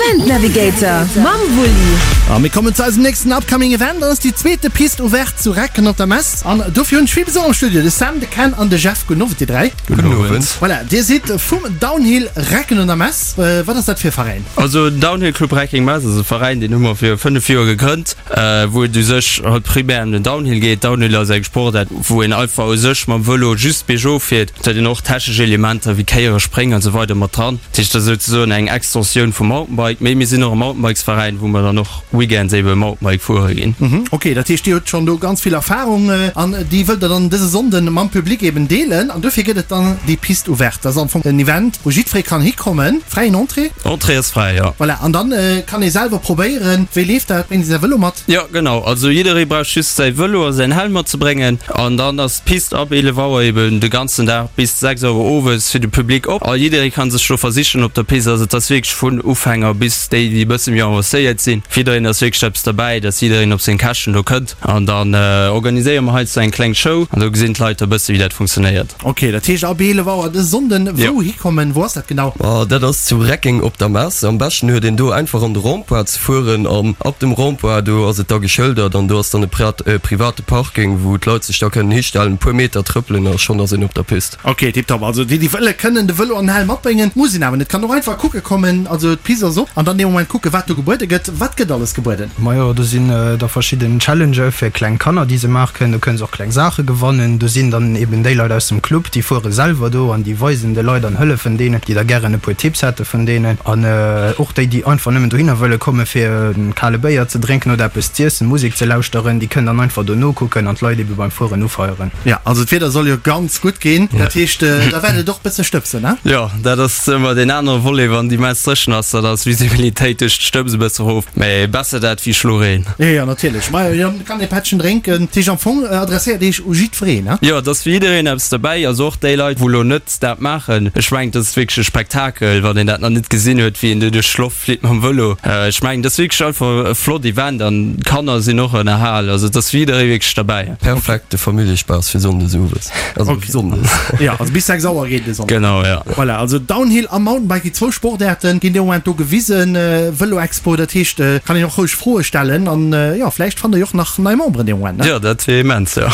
Event Navigator mam Wulli. A mir kommen zu eisem nächsten upcoming Event. Dat ass déi zweete Piste ouverte zu Recken op der Mess. An dofir hunn ech vill Besuch am Studio, de Sam, de Ken an de Jeff. Gudden Owend dir 3. Gudden Owend. Voilà, dir sidd vum Downhill Recken un der Mess. Wat ass dat fir e Veräin? Also den Downhill Club Reckeng Mess ass e Veräin, deen hu mer vir 5 Joer gegrënnt, wou et u sech halt primär ëm den Downhill geet. Downhill ass eng Sportaart, wou een einfach u sech mam Vëlo just biergof fiert. Et huet een och technesch Elementer wéi Kéiere, Spréng an esou weider mat dran. Dat heescht, dat ass souzesoen eng Extensioun vum Mountainbike. Mee mir sinn och e Mountainbikesveräin, wou mer dann och Weekends ebe Mountainbike fuere ginn. Ok, dat heescht Dir hutt schonn do ganz vill Erfarung an déi wëllt der dann dëse Sonnden mam Public eben deelen an dofir gëtt et dann déi Piste ouverte. Dat ass am Fong en Event, wou jiddweree kann hikommen, fräien Entrée. Entrée ass fräi, jo. Voilà, an dann kann ee selwer probéieren. Wéi leeft dat? Bréngt ee säi Vëlo mat? Jo, genau. Also jidderee brauch just säi Vëlo a säin Helm matzebréngen an dann ass d'Piste ab 11 Auer eben de ganzen Dag bis 6 Auer owes fir de Public op a jidderee kann sech do versichen op der Piste. Also et ass wierklech vun Ufänger bis déi, déi e bësse méi avancéiert sinn. Fir jiddereen ass wierklech eppes derbäi, dass jiddereen op seng Käschten do kënnt. An dann organiséiere mer heiansdo eng kleng Show an do gesinn d'Leit da bësse wéi dat funktionéiert. Ok, dat heescht ab 11 Auer dës Sonnden. Wou hikommen? Wou ass dat genau? Dat ass zu Reckeng op der Mess. Am beschten huet een do einfach an de Rond-point ze fueren an ab dem Rond-point do ass et da geschëldert an do ass dann e private Parking, wou d'Leit sech da kënnen histellen, e puer Meter trëppelen a schonn ass een op der Pist. Ok, tiptop. Also déi déi wëlle kënnen de Vëlo an den Helm matbréngen, muss een awer net. Kann och einfach kucke kommen. Also d'Pist ass op an dann dee Moment kucke wat do gebuede gëtt. Wat gëtt alles gebueden? Majo, do sinn da verschidden Challengë fir kleng Kanner, déi se maache kënnen. Do kënnen se och kleng Saache gewannen. Do sinn dann eben déi Leit aus dem Club, déi fuere selwer do an déi weisen de Leit an hëllefen deenen, déi da gären e puer Tipps hätte vun deenen. An och déi, déi einfach nëmmen dohinner wëlle komme fir e kale Béier ze drénken oder eppes z'iessen, Musek ze lauschteren, déi kënnen dann einfach do nokucken an d'Leit ebe beim Fueren ufeieren. Jo, also d'Wieder soll jo ganz gutt ginn, dat heescht, da wäert et och bësse stëbsen, ne? Jo, dat ass ëmmer deen anere Volet, wann déi Mess dréchen ass, dann ass d'Visibilitéit duerch d'Stëbs e bësse erof, mä besser dat wéi Schloreen. Jo, jo, natierlech. Ma jo, kann ee Pättchen drénken. Dat heescht, am Fong adresséiert Iech u jiddwereen, ne? Jo, et ass fir jiddereen eppes derbäi, also och déi Leit, wou elo net dat maachen. Ech mengen, dat ass wierklech e Spektakel, wann een dat nach net gesinn huet, wéi een do duerch d'Loft flitt mam Vëlo. Ech mengen, dat ass wierklech einfach e flott Event an d'Kanner sinn och ënnerhal. Also et ass fir jidderee wierklech derbäi. Perfekte Familljespaass fir Sonndes owes. Also Sonndes. Jo, also bis 6 Auer geet de Sonnden. Genau, jo. Voilà, also Downhill a Mountainbike, déi zwou Sportaarten ginn dee Moment do gewisen. Vëlo-Expo, dat heescht, kann een och roueg Froe stellen an jo, vläicht fannt der jo och nach nei Memberen dee Moment, ne? Jo, dat wier immens, jo.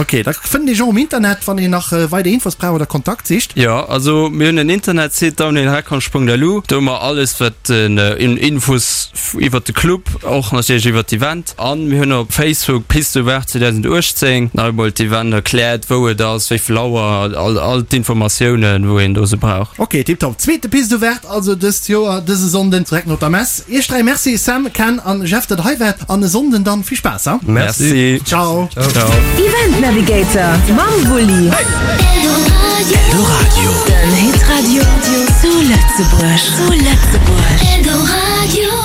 Ok, da fënnt een iech och um Internet, wann een nach weider Infos brauch oder Kontakt sicht. Jo, also mir hunn en Internetsite, downhillreckonsch.lu, do hu mer alles wat un Infos iwwert de Club, och natierlech iwwert d'Event. An mir hunn op Facebook Piste ouverte 2018 nach emol d'Event erkläert, wou et ass, wéi vill Auer, all all d'Informatiounen wou een do se brauch. Ok, tiptop. Zweete Piste ouverte also dëst Joer dëse Sonnden direkt no der Mess. Iech 3 Merci Sam, Ken an Jeff dat der hei waart an e Sonnden dann vill Spaass ha. Merci. Ciao. Ciao. Event Navigator mam Wulli. Eldoradio. Den Hitradio zu Lëtzebuerg. Zu Lëtzebuerg. Eldoradio.